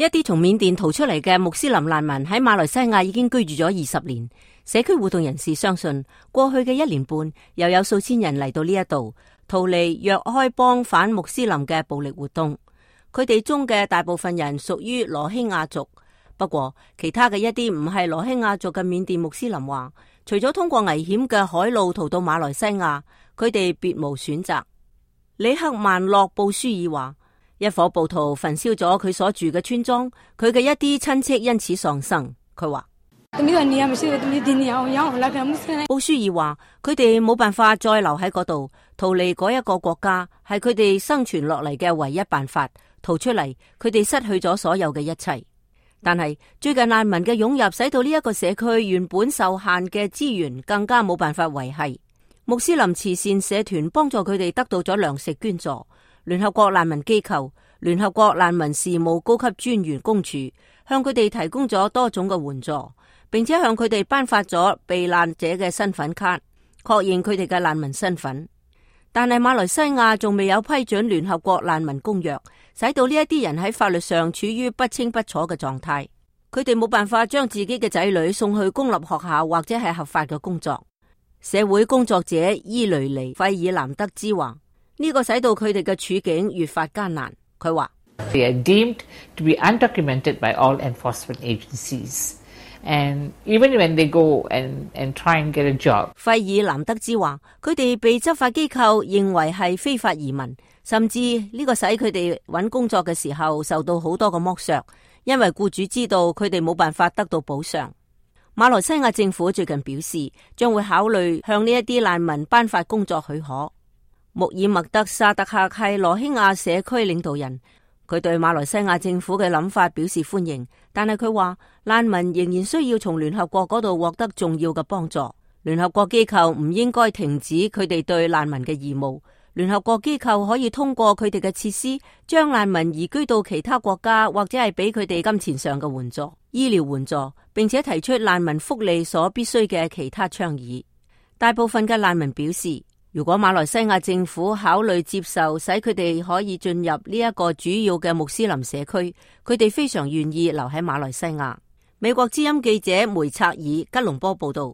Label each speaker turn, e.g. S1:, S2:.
S1: 一啲從緬甸逃出嚟嘅穆斯林難民喺馬來西亞已經居住咗20年。社區活動人士相信，過去嘅1年半又有數千人嚟到呢一度，逃離若開邦反穆斯林嘅暴力活動。佢哋中嘅大部分人屬於羅興亞族，不過其他嘅一啲唔係羅興亞族嘅緬甸穆斯林話，除咗通過危險嘅海路逃到馬來西亞，佢哋別無選擇。里克曼洛布舒爾話，一伙暴徒焚燒咗佢所住嘅村莊，佢嘅一啲親戚因此喪生。佢話布舒爾話，佢哋冇辦法再留喺嗰度，逃離嗰一個國家係佢哋生存落嚟嘅唯一辦法。逃出嚟，佢哋失去咗所有嘅一切。但係最近難民嘅湧入，使到呢一個社區原本受限嘅資源更加冇辦法維繫。穆斯林慈善社團幫助佢哋得到咗糧食捐助。聯合國難民機構、聯合國難民事務高級專員公署向佢哋提供咗多種嘅援助，並且向佢哋頒發咗避難者嘅身份卡，確認佢哋嘅難民身份。但係馬來西亞仲未有批准聯合國難民公約，使到呢一啲人喺法律上處於不清不楚嘅狀態。佢哋冇辦法將自己嘅仔女送去公立學校或者係合法嘅工作。社會工作者伊雷尼費爾南德茲話，呢個使到佢哋嘅處境越發艱難。佢話
S2: They are deemed to be undocumented by all enforcement agencies. And even when they go and try and get a job，
S1: 費爾南德茲話，佢哋被執法機構認為係非法移民，甚至呢個使佢哋揾工作嘅時候受到好多嘅剝削，因為僱主知道佢哋冇辦法得到補償。馬來西亞政府最近表示，將會考慮向呢一啲難民頒發工作許可。穆爾默德沙特克係羅興亞社區領導人。佢對馬來西亞政府嘅諗法表示歡迎，但係佢話難民仍然需要從聯合國嗰度獲得重要嘅幫助。聯合國機構唔應該停止佢哋對難民嘅義務。聯合國機構可以通過佢哋嘅設施，將難民移居到其他國家，或者係俾佢哋金錢上嘅援助、醫療援助，並且提出難民福利所必須嘅其他倡議。大部分嘅難民表示，如果馬來西亞政府考慮接受，使佢哋可以進入呢一個主要嘅穆斯林社區，佢哋非常願意留喺馬來西亞。美國之音記者梅策爾吉隆坡報道。